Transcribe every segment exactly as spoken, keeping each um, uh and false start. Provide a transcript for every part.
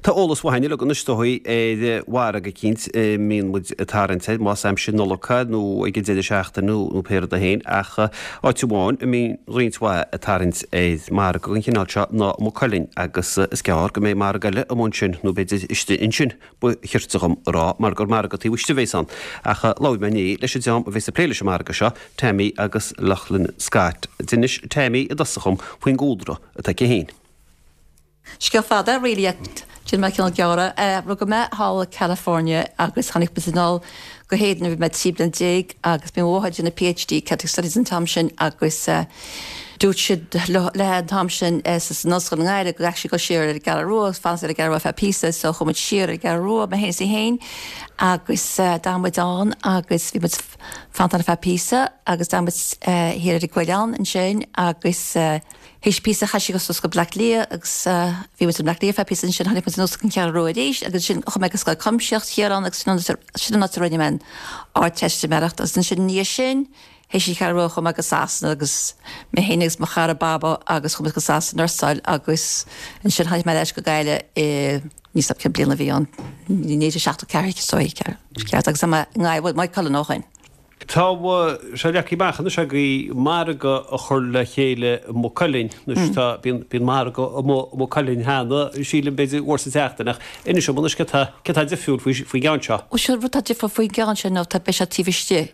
Tá eolas mhaith uilig anois dóigh ar mhargadh eicínt a mbíonn muid ag tarraingt air, más aimsir Nollag nó ag an deireadh seachtaine nó nó pé rud é féin, ach áit amháin a mbíonn roinnt mhaith ag tarraingt ar mhargadh den chineál seo ná Maigh Cuilinn agus is gearr go mbeidh margadh eile amuigh ansin nó b'fhéidir istigh ansin ba chirte dhom a rá mar gur margadh taobh istigh a bheas ann. Ach labhair mé inné leis an dream a bheas ag plé leis an margadh seo, Tammy agus Loughlin Scott. D'inis Tammy i dtosach dhom faoin gcúlra atá aici féin. Scéal fada really déanfaidh mé cineál gearr. Rugadh mé thall i California agus tháinig muid anall go hÉirinn nuair bhí mé trí bliana déag agus bhí mo mháthair ag déanamh PhD Celtic Studies an t-am sin agus dúirt siad léi an t-am sin san ollscoil i nGaillimh go gcaithfidh sí dul siar ar an gCeathrú Rua agus fanacht ar an gCeathrú Rua feadh píosa so chuaigh muid siar ar an gCeathrú Rua mé féin is í féin agus d'fhan muid ann agus bhí muid fanacht ann feadh píosa agus d'fhan muid thiar ar an gCoileán ansin agus théis píosa chaith sí go suas go Bleá Cliath agus bhí muid i mBleá Cliath feadh píosa ansin tháinig muid anuas go Ceathrú Rua arís agus ansin chuaigh mé go Scoil Chuimsitheach thiar ann agus sin an áit a rinne mé an Ardteistiméireacht agus ansin i ndiaidh sin théis an Cheathrú Rua chuaigh mé go Sasana agus mé féin agus mo chara Baba agus chuaigh muid go Sasana nursáil agus ansin tháinig mé ar ais go Gaillimh i níl a fhios agam cén bliain a bhí ann naoi déag seachtó ceathair ceart agus tá mé i nGaillimh Maigh Cuilinn ó shin. Tá sé leagtha amach anois agaibh margadh a chur le chéile i Maigh Cuilinn. Anois tá, bíonn, bíonn margadh i Maigh Cuilinn cheana, sílim, b'fhéidir uair sa tseachtain ach inis dom anois céard tá, céard tá difriúil faoi, faoin gceann seo. Bhuel sin rud atá difriúil faoin gceann seo ná tá, beidh sé taobh istigh,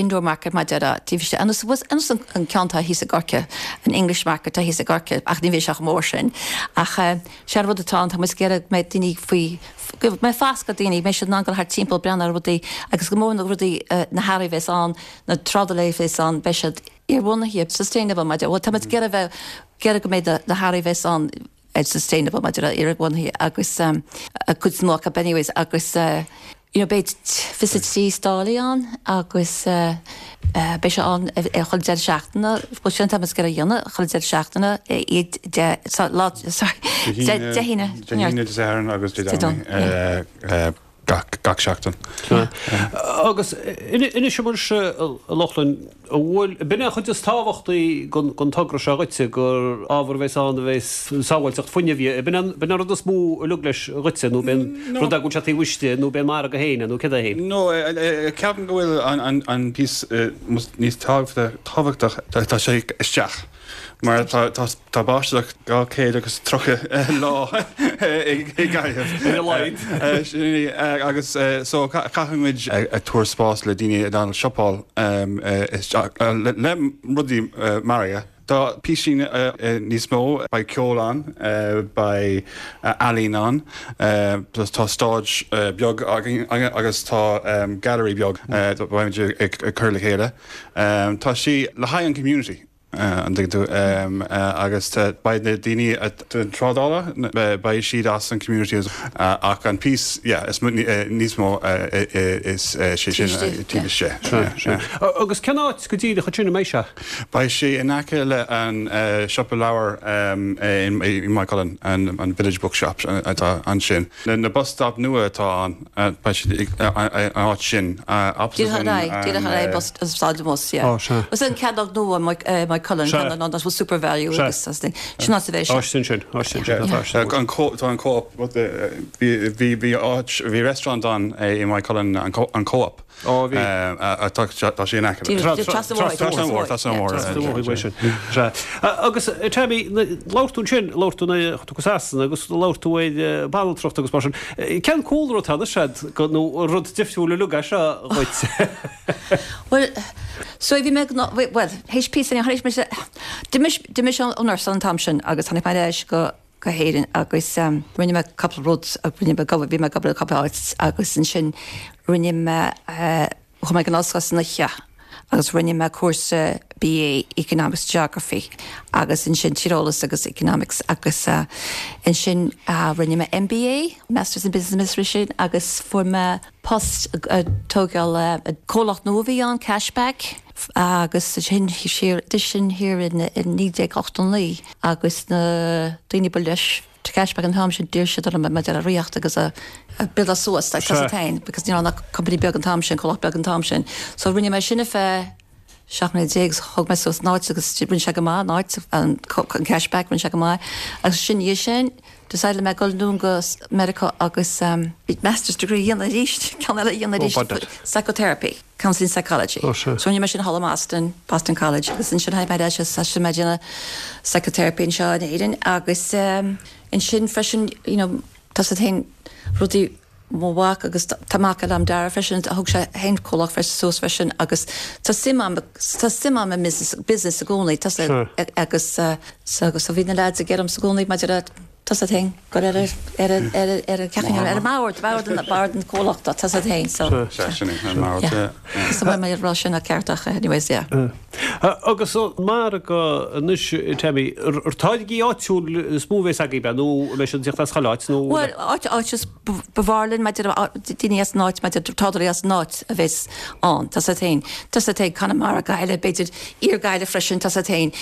indoor market mar a déarfá, taobh istigh. Ar nós, ar nós an, an ceann atá thíos i gCorcaigh, an English market atá thíos i gCorcaigh ach ní bheidh sé chomh mór sin. Ach sé an rud atá ann, tá muid ag iarraidh go mbeidh daoine faoi, go mbeidh fascadh ag daoine, go mbeidh siad in ann dul thart timpeall, breathnú ar rudaí agus go mór na rudaí, na hearraí a bheas ann, na trádálaithe a bheas ann, beidh siad inbhuanaithe, sustainable mar a déarfá, bhuel tá muid ag iarraidh bheith, ag iarraidh go mbeidh na hearraí a bheas ann sustainable mar a déarfá, inbhuanaithe agus an chuid is mó acu anyways agus you know beidh fiche trí stálaí ann agus beidh sé ann ar chuile deireadh seachtaine, bhuel sin atá muid ag iarraidh a dhéanamh, chuile deireadh seachtaine, iad de, lá, sorry, Dé hAoine, Dé hAoine, Dé Sathairn agus Dé Domhnaigh. gach gach seachtain. Agus inis dom anois, a Lochlainn, an bhfuil, b'in é an chuid is tábhachtaí den togra seo dhuitse, gur ábhar a bheas ann a bheas sábháilteacht fuinnimh, b'in an b'in an rud is mó a leag leis dhuitse nó b'in rud é go bhfuil sé taobh istigh nó b'é an margadh féin é nó céard é féin? No, ceapaim go bhfuil an an píosa níos tábhachtach, tá sé isteach. Mar tá tá báisteach dhá chéad agus tríocha lá i gCaithimh. Ar a laghad. Sin é agus so caithfidh muid ag tabhairt spás le daoine in ann siopáil isteach le rudaí margaidh. Tá píosaí níos mó, beidh ceol ann, beidh ealaín ann, tá stage beag againn agus tá gallery beag beidh muid ag cur le chéile. Tá sí le haghaidh an community. An dtuigeann tú? Agus beidh na daoine den trádála, beidh siad as an community ach an piece, yeah, is níos mó is sé sin taobh istigh. Agus cén áit go díreach ansin a mbeidh sé? Beidh sé in aice le an siopa leabhar i Maigh Cuilinn, an Village Bookshop atá ansin. Na bus stop nua atá ann, beidh siad an áit sin, opposite an. Díreach ar aghaidh, díreach ar aghaidh bus, stáid an bhus, yeah. Ó, sea. Is an cearnóg nua Maigh Cuilinn, Sea. cearnóg nua SuperValu Sea. agus as sin áit a bheidh sé. Áit sin sin, áit sin sin, tá áit. An co, tá an Co-op, bhí, bhí, bhí áit, bhí restaurant ann i Maigh Cuilinn, an Co, an Co-op. Ó, bhí. Tá, tá sé in aice. Díreach, trasna an bhóthair. Trasna an bhóthair, trasna an bhóthair. Trasna an bhóthair, uaidh sin. Sea. Agus, Tammy, labhair tú ansin, labhair tú nuair a chuaigh tú go Sasana agus labhair tú ar banaltracht agus mar sin. Cén cúlra atá anois agat nó rud difriúil uilig é seo dhuit? Bhuel, so bhí mé ag, bhuel, théis píosa, théis mise, d'imigh, d'imigh ón nursáil an t-am sin agus tháinig mé ar ais go, go hÉirinn agus rinne mé cúpla rud, rinne mé, bhí mé ag obair i cúpla áit agus ansin rinne mé, chuaigh mé ag an ollscoil san oíche agus rinne mé cúrsa BA Economics Geography agus ansin tíreolas agus Economics agus ansin rinne mé MBA, Masters in Business Administration agus fuair mé post ag tógáil comhlacht nua a bhí ann, Cashback. Agus sin siar, sin thiar in naoi déag ochtó naoi agus na daoine ba leis Cashback an t-am sin d'iarr siad orm maidir le ríocht agus a build suas like tá féin because ní raibh ach company beag an t-am sin, comhlacht beag an t-am sin. So rinne mé sin ar feadh seacht mbliana déag agus thóg mé suas an áit agus rinne sé go maith an áit an Cashback rinne sé go maith agus sin dhiaidh sin Decide mé dul anonn go Meiriceá agus um, master's degree a dhéanamh arís ceann eile a dhéanamh Oh, arís bad. psychotherapy. Counseling psychology. Oh, sure. So rinne mé sin thall i Boston, Boston College agus ansin tháinig mé sin mé déanamh psychotherapy anseo in Éirinn agus um, ansin freisin you know, tá sé féin rudaí mo mhac agus tá mac agam Dara freisin a thug sé féin comhlacht freisin suas freisin agus tá suim agam tá suim agam i business business i gcónaí tá Sure. agus uh, so agus so bhí na lads ag iarraidh orm i gcónaí maidir le tá sé féin go ar ar ar ar ar ar mbord bord an bord an comhlachta tá sé féin so Sea, sin é, an mbord, Yeah. yeah. So mé rá sin a ceartach anyways yeah. Agus mar anois Tammy ar táirgí áitiúil is mó a bheas agaibh nó leis an teacht as chuile áit nó Well áit áit is b'fhearr linn maidir daoine as an áit maidir trádálaí as an áit a bheas ann tá sé féin Tá sé féin Conamara Gaillimh b'fhéidir iar-Ghaillimh freisin tá sé féin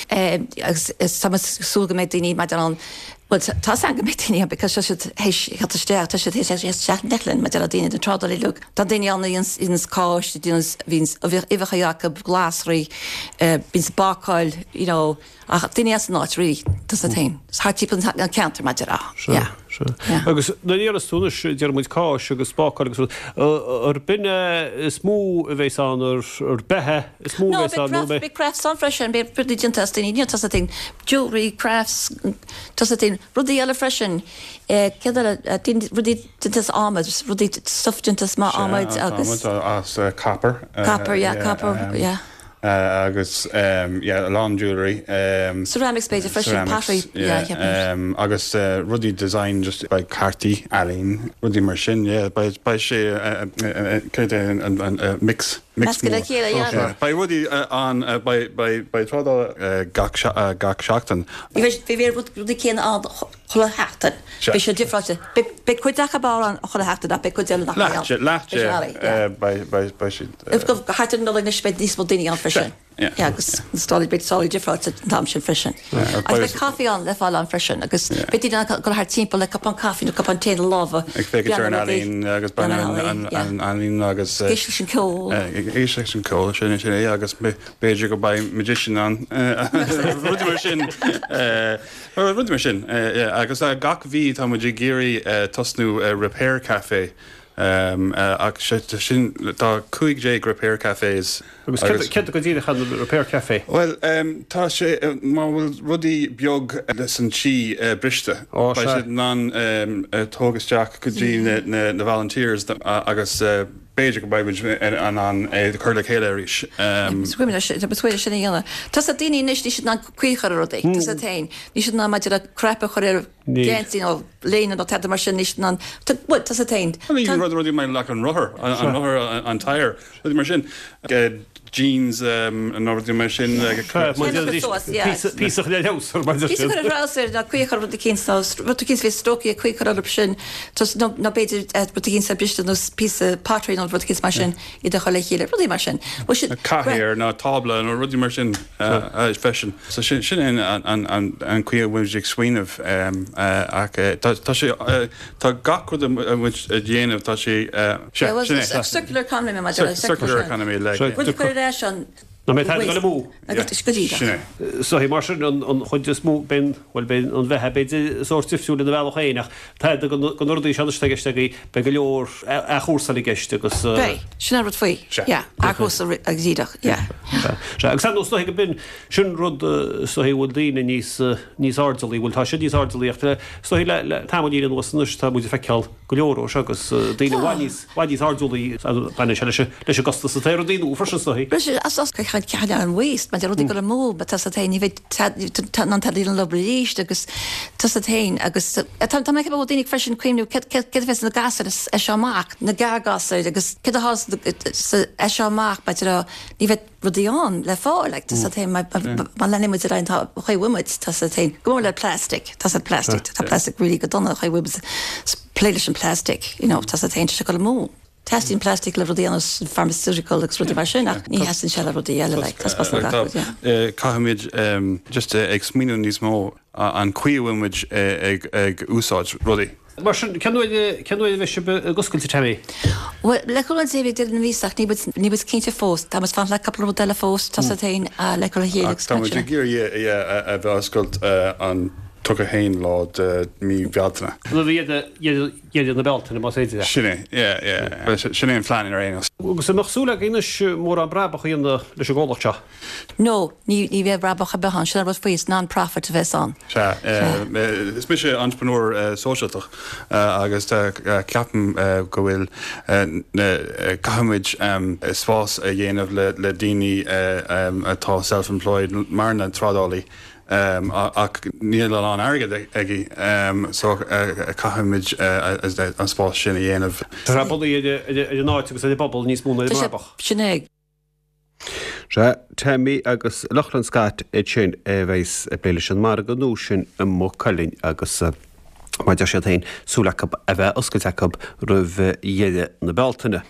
agus tá súil go mbeidh daoine maidir an Well tá an go mbeidh daoine because tá siad théis isteach tá siad théis neclin maidir le daoine den trádálaí lu Tá daoine ann ins cáis bhíonn uibheacha acu glasraí bíonn bácáil you know ach daoine as an áit rí tá sé féin. Thart timpeall an ceantar maidir á. Yeah. Yeah. Agus na níoras túnas deir muid cáis agus bácáil agus ar binne is mó a bheas ann ar ar beatha is mó No, a bheas ann nó big crafts ann freisin, beidh rudaí déanta as daoine, tá sé féin jewelry crafts tá sé féin rudaí eile freisin. Eh, céard eile, eh, daoine- rudaí déanta as adhmad, rudaí stuff déanta as ma adhmad agus as uh, copper. Uh, Copper, yeah, copper, um, yeah. Uh, agus um, yeah, a lán jewelry. Um, Ceramics b'fhéidir freisin, ceramics, pottery, yeah, yeah. um, agus uh, rudaí design just by cártaí ealaín rudaí mar sin yeah, beidh beidh sé uh, uh, uh, céard é an, an, uh, mix mix Meascadh le mór. chéile, yeah. Yeah. Beidh rudaí uh, an uh, beidh beidh beidh trádáil uh, gach se- uh, gach seachtain. Bhí bhí rudaí céanna ann chuile sheachtain. Sure. Beidh sé difriúil. Beidh cuid acu ann chuile sheachtain ach beidh cuid eile nach Leath leath beidh beidh beidh siad uh, Thart ar an Nollaig anois beidh níos mó daoine ann freisin. Yeah. Yeah, agus stálaí beidh stálaí difriúil an t-am sin freisin. Yeah, Agus beidh caife ann le fáil ann freisin, agus beidh daoine ann go thart timpeall le cupán caife nó cupán tae ina lámha. ag féachaint ar an ealaín agus ban an an ealaín agus uh, Éisteacht leis an ceol. Éisteacht leis an ceol sin sin é agus b'fhéidir go mbeidh magician ann rudaí mar sin rudaí mar sin agus uh, gach mhí tá muid ag iarraidh uh, tosnú uh, repair café. Um, uh, ach sin tá cúig déag repair cafés Agus céard go díreach an repair café. Well um, tá sé uh, má bhfuil rudaí beag leis an tí uh, briste Ó, Beidh sea. siad in ann um, uh, tóg isteach go dtí na, na, na volunteers uh, agus uh, b'fhéidir go mbeidh in ann é chur le chéile arís. Um, Scuime sin dhéanamh. Tá sa daoine anois níl siad in ann caoi a chur ar rudaí, Tá sa féin. Níl siad in ann maidir le crap a chur ar Níl. geansaí nó léine nó tada mar sin níl siad in ann tá sa féin. rud rudaí mar le an rothar an an rothar an- an tire rudaí mar sin Uh, jeans um, an rudaí mar sin Píosa le leabhsar mar Pí chu rásir na cuichar rud cín rud cín bhí stocí cuichar ar sin nó b'fhéidir rud cín sa briste nó píosa pottery nó rud cín mar sin i do le chéile rudaí mar sin. Cathaoir nó tábla nó rudaí mar sin freisin. So sin sin an an an an chaoi a bhfuil ag smaoineamh um, uh, ach uh, tá tá sé uh, tá gach rud a muid a dhéanamh tá sé uh, sin é. Circular economy mar Circular economy le Rud chuir leis an Na mé go mú. agus go dtí. Sin é. So hí mar sin an an chuid is mó ben well ben an bheithe b'fhéidir sórt difriúil ina bhealach féin tá go rudaí se teiste be go leor athchúrsáil i gceist agus Beidh, sin rud faoi. Sea. Athchúrsáil agus díreach, yeah. Se agus nó go bin sin rud so hí bhfuil daoine níos níos airdeallaí bhfuil tá sé níos airdeallaí so hí le tamallín anuas anois tá muid ag feiceáil go leor ó agus daoine Tá. níos níos airdeallaí baineann sé leis leis an gcostas atá ar daoine freisin so hí. Bris as as cean an waste, mar rudaí go mó, but tá féin ní an talí an lobríist agus tá féin agus tá tá mé go daoine freisin cuimhniú céard bheas na gasúir é seo amach na gargasúir agus céard é seo amach ba ní bheidh rudaí ann le fáil like, tá féin má leanann muid ar an chaoi bhfuil tá féin go mór le plastic tá plastic tá plastic really go dona chaoi bhfuil plé leis an plastic you know, tá féin se go mó. Teastaíonn plastic le rudaí an pharmaceutical agus rudaí mar sin ach ní theastaíonn sé le rudaí eile like, tá pas na gach rud, yeah. Caithfimid just uh, ag smaoineamh níos mó an chaoi a bhfuil muid uh, ag ag úsáid rudaí. Mar sin cén uair a bheidh sibh ag oscailt Tammy. Well, le chun sé bhí an vísach ní ní bus cinnte fós, Tá mas fan le cúpla rud eile fós tá féin le chu chéile Tá muid ag iarraidh a bheith oscailt an tríocha haon lá de mí Bealtaine. Dheireadh na Bealtaine más féidir. Sin é, yeah, yeah. Sin é an plean ar aon nós. Agus an mbeadh súil agaibh anois mórán brabach a dhéanamh leis an gcomhlacht seo? No, ní ní bheidh brabach ar bith ann, sin an rud faoi, is non-profit a bheas ann. Sea, is mise entrepreneur sóisialtach agus ceapaim go bhfuil caithfimid spás a dhéanamh le le daoine atá self-employed mar na trádálaí ach níl a lán airgead aige so caithfimid an spás sin a dhéanamh. Tá sé bunaithe ar an áit agus ar an bpobal níos mó ná ar an mbrabach. Sin é. Sea, Tammy agus Lochlann Scott iad sin a bheas ag plé leis an margadh nua sin i Maigh Cuilinn agus mar a deir siad féin, súil acu a bheith oscailte acu roimh dheireadh na Bealtaine.